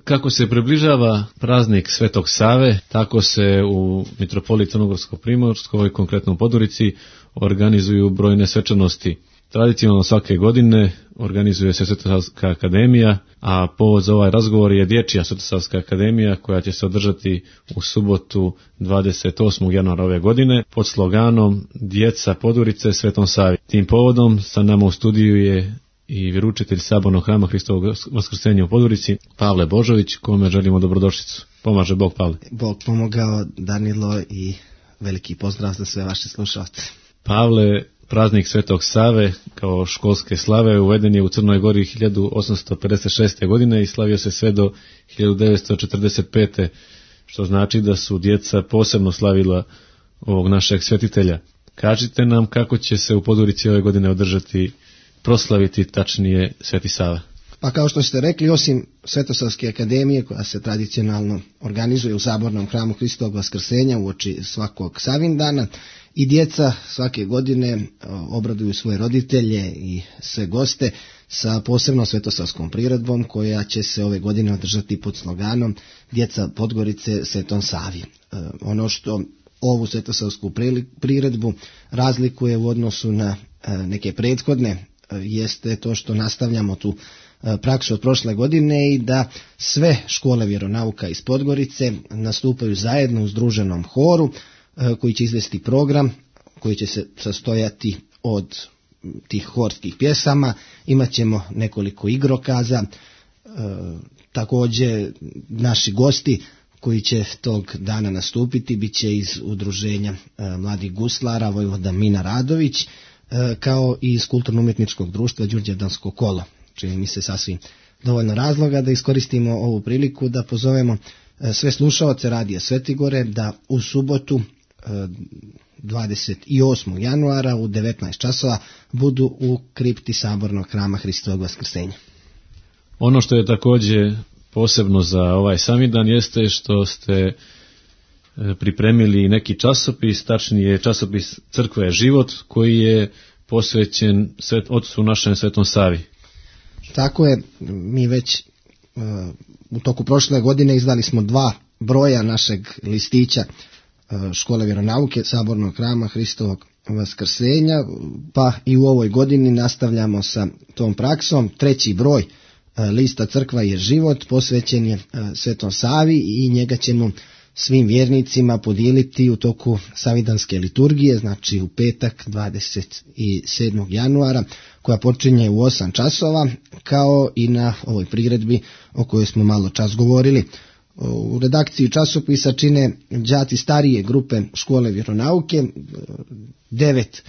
Kako se približava praznik Svetog Save, tako se u mitropoliji Crnogorsko-primorskoj, konkretno u Podgorici, organizuju brojne svečanosti. Tradicionalno svake godine organizuje se Svetosavska akademija, a povod za ovaj razgovor je Dječja Svetosavska akademija koja će se održati u subotu 28. januara ove godine pod sloganom Djeca Podgorice Svetom Savi. Tim povodom sa nama u studiju je i vjeroučitelj Sabornog hrama Hristovog Vaskrsenja u Podgorici, Pavle Božović, kome želimo dobrodošlicu. Pomaže Bog, Pavle. Bog pomogao, Danilo, i veliki pozdrav za sve vaše slušalce. Pavle, praznik Svetog Save kao školske slave uveden je u Crnoj Gori 1856. godine i slavio se sve do 1945. što znači da su djeca posebno slavila ovog našeg svetitelja. Kažite nam kako će se u Podgorici ove godine proslaviti tačnije Sveti Sava. Pa kao što ste rekli, osim Svetosavske akademije koja se tradicionalno organizuje u Sabornom hramu Hristovog Vaskrsenja uoči svakog Savindana, i djeca svake godine obraduju svoje roditelje i sve goste sa posebnom svetosavskom priredbom koja će se ove godine održati pod sloganom Djeca Podgorice Svetom Savi. Ono što ovu svetosavsku priredbu razlikuje u odnosu na neke prethodne jeste to što nastavljamo tu praksu od prošle godine i da sve škole vjeronauka iz Podgorice nastupaju zajedno u združenom horu koji će izvesti program koji će se sastojati od tih horskih pjesama. Imaćemo nekoliko igrokaza, također naši gosti koji će tog dana nastupiti bit će iz udruženja mladih guslara Vojvoda Mina Radović, kao i iz kulturno-umjetničkog društva Đurđevdansko kolo. Čini mi se sasvim dovoljno razloga da iskoristimo ovu priliku da pozovemo sve slušaoce Radija Svetigore da u subotu 28. januara u 19 časova budu u kripti Sabornog hrama Hristovog Vaskrsenja. Ono što je također posebno za ovaj Savindan jeste što ste pripremili neki časopis, tačnije časopis Crkva život, koji je posvećen Ocu našem Svetom Savi. Tako je, mi već u toku prošle godine izdali smo 2 broja našeg listića Škole vjeronauke Sabornog hrama Hristovog Vaskrsenja, pa i u ovoj godini nastavljamo sa tom praksom. 3. broj lista Crkva je život posvećen je Svetom Savi i njega ćemo svim vjernicima podijeliti u toku savidanske liturgije, znači u petak 27. januara, koja počinje u 8 časova, kao i na ovoj priredbi o kojoj smo malo čas govorili. U redakciji časopisa čine đaci starije grupe škole vjeronauke. 9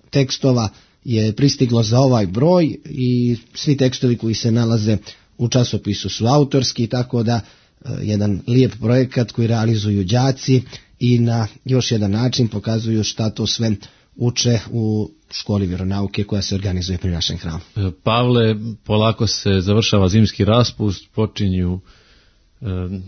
tekstova je pristiglo za ovaj broj i svi tekstovi koji se nalaze u časopisu su autorski, tako da jedan lijep projekat koji realizuju đaci i na još jedan način pokazuju šta to sve uče u školi vjeronauke koja se organizuje pri našem hramu. Pavle, polako se završava zimski raspust, počinju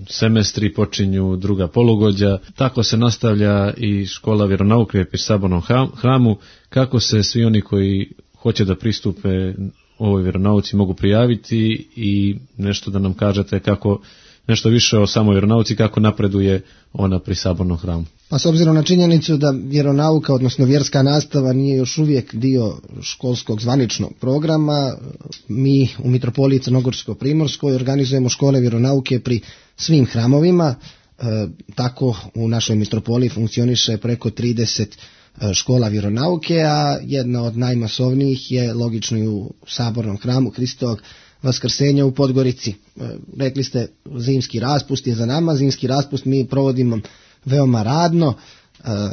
semestri, počinju druga polugođa, tako se nastavlja i škola vjeronauke pri Sabornom hramu. Kako se svi oni koji hoće da pristupe ovoj vjeronauci mogu prijaviti i nešto da nam kažete kako nešto više o samoj vjeronauci, kako napreduje ona pri Sabornom hramu? Pa s obzirom na činjenicu da vjeronauka, odnosno vjerska nastava, nije još uvijek dio školskog zvaničnog programa, mi u mitropoliji Crnogorsko-primorskoj organizujemo škole vjeronauke pri svim hramovima. Tako u našoj mitropoliji funkcioniše preko 30 škola vjeronauke, a jedna od najmasovnijih je logično i u Sabornom hramu Hristovog Vaskrsenja u Podgorici. Rekli ste, zimski raspust je za nama. Zimski raspust mi provodimo veoma radno,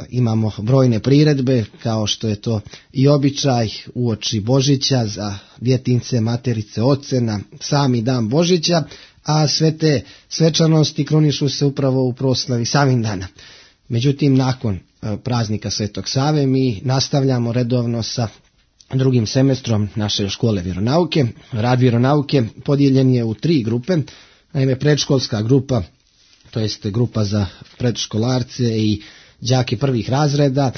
imamo brojne priredbe kao što je to i običaj uoči Božića za djetince, materice, oce na sami dan Božića, a sve te svečanosti krunišu se upravo u proslavi Savindana. Međutim, nakon praznika Svetog Save mi nastavljamo redovno sa drugim semestrom naše škole vjeronauke. Rad vjeronauke podijeljen je u 3 grupe. Naime, predškolska grupa, to jest grupa za predškolarce i đake prvih razreda,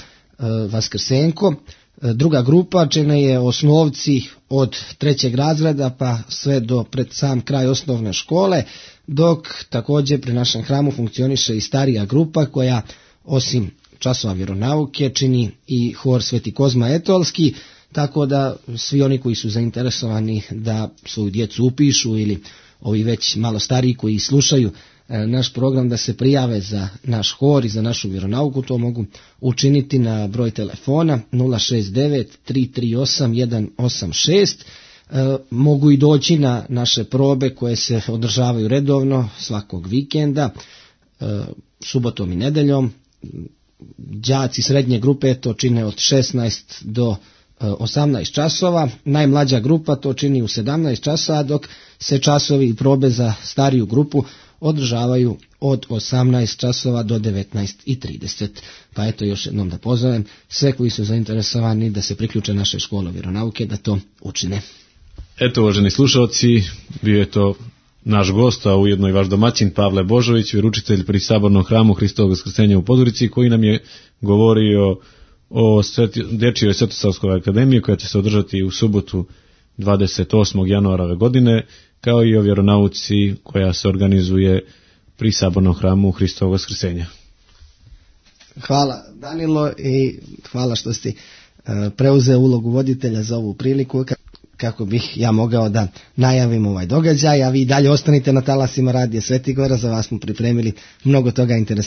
Vaskrsenko, Druga grupa čine je osnovci od 3. razreda pa sve do pred sam kraj osnovne škole, dok također pri našem hramu funkcioniše i starija grupa koja osim časova vjeronauke čini i hor Sveti Kozma Etolski, tako da svi oni koji su zainteresovani da svoju djecu upišu ili ovi već malo stariji koji slušaju naš program da se prijave za naš hor i za našu vjeronauku, to mogu učiniti na broj telefona 069 338 186. Mogu i doći na naše probe koje se održavaju redovno svakog vikenda, subotom i nedeljom. Đaci srednje grupe to čine od 16 do 18 časova, najmlađa grupa to čini u 17 časova, dok se časovi i probe za stariju grupu održavaju od 18 časova do 19:30. Pa eto još jednom da pozovem sve koji su zainteresovani da se priključe naše škole vjeronauke da to učine. Eto, uvaženi slušalci, bio je to naš gost, a ujedno i vaš domaćin Pavle Božović, vjeroučitelj pri Sabornom hramu Hristovog Vaskrsenja u Podgorici, koji nam je govorio o Dječjoj Svetosavskoj akademiji koja će se održati u subotu 28. januara ove godine, kao i o vjeronauci koja se organizuje pri Sabornom hramu Hristovog Vaskrsenja. Hvala Danilo i hvala što ste preuzeo ulogu voditelja za ovu priliku kako bih ja mogao da najavim ovaj događaj, a vi dalje ostanite na talasima Radija Sveti Gora, za vas smo pripremili mnogo toga interesantnog.